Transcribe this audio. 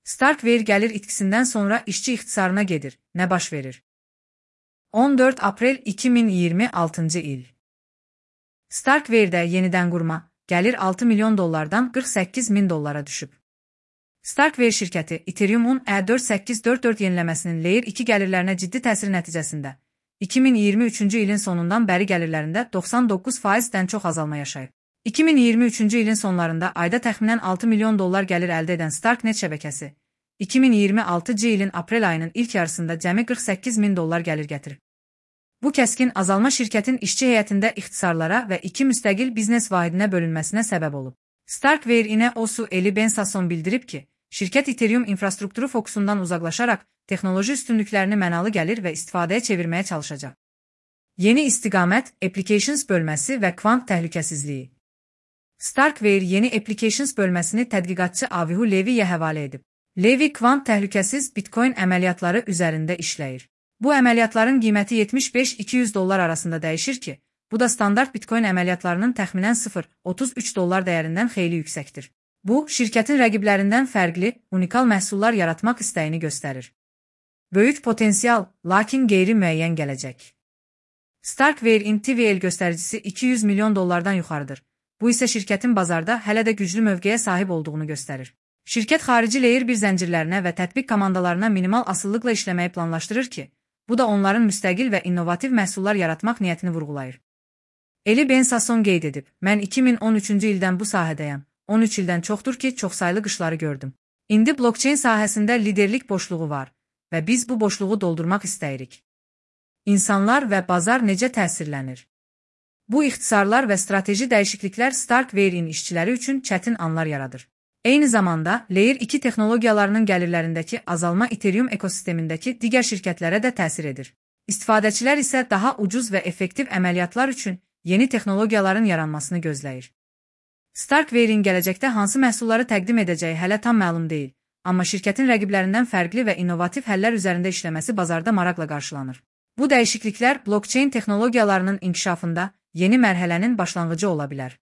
Starkware gəlir itkisindən sonra işçi ixtisarına gedir. Nə baş verir? 14 aprel 2026 il. Starkware'də yenidən qurma, gəlir 6 milyon dollardan 48 min dollara düşüb. Starkware şirkəti Ethereum-un E4844 yeniləməsinin Layer 2 gəlirlərinə ciddi təsiri nəticəsində 2023-cü ilin sonundan bəri gəlirlərində 99%-dən çox azalma yaşayıb. 2023-cü ilin sonlarında ayda təxminən 6 milyon dollar gəlir əldə edən Starknet şəbəkəsi 2026-cı ilin aprel ayının ilk yarısında cəmi 48 min dollar gəlir gətirib. Bu kəskin azalma şirkətin işçi heyətində ixtisarlara və 2 müstəqil biznes vahidinə bölünməsinə səbəb olub. Starkware İNEOS-u Eli Ben-Sasson bildirib ki, şirkət Ethereum infrastrukturu fokusundan uzaqlaşaraq texnoloji üstünlüklərini mənalı gəlir və istifadəyə çevirməyə çalışacaq. Yeni istiqamət, Applications bölməsi və kvant təhlükəsizliyi. Starkware yeni Applications bölməsini tədqiqatçı Avihu Leviyə həvalə edib. Levi kvant təhlükəsiz Bitcoin əməliyyatları üzərində işləyir. Bu əməliyyatların qiyməti 75-200 dollar arasında dəyişir ki, bu da standart Bitcoin əməliyyatlarının təxminən 0,33 dollar dəyərindən xeyli yüksəkdir. Bu, şirkətin rəqiblərindən fərqli, unikal məhsullar yaratmaq istəyini göstərir. Böyük potensial, lakin qeyri-müəyyən gələcək. Starkware-in TVL göstəricisi 200 milyon dollardan yuxarıdır. Bu isə şirkətin bazarda hələ də güclü mövqeyə sahib olduğunu göstərir. Şirkət xarici Layer 1 zəncirlərinə və tətbiq komandalarına minimal asılılıqla işləməyi planlaşdırır ki, bu da onların müstəqil və innovativ məhsullar yaratmaq niyyətini vurğulayır. Eli Ben-Sasson qeyd edib, mən 2013-cü ildən bu sahədəyəm. 13 ildən çoxdur ki, çoxsaylı qışları gördüm. İndi blockchain sahəsində liderlik boşluğu var və biz bu boşluğu doldurmaq istəyirik. İnsanlar və bazar necə təsirlənir? Bu ixtisarlar və strateji dəyişikliklər Starkware-in işçiləri üçün çətin anlar yaradır. Eyni zamanda, Layer 2 texnologiyalarının gəlirlərindəki azalma Ethereum ekosistemindəki digər şirkətlərə də təsir edir. İstifadəçilər isə daha ucuz və effektiv əməliyyatlar üçün yeni texnologiyaların yaranmasını gözləyir. Starkware-in gələcəkdə hansı məhsulları təqdim edəcəyi hələ tam məlum deyil, amma şirkətin rəqiblərindən fərqli və innovativ həllər üzərində işləməsi bazarda maraqla qarşılanır. Bu dəyişikliklər blockchain texnologiyalarının inkişafında yeni mərhələnin başlanğıcı ola bilər.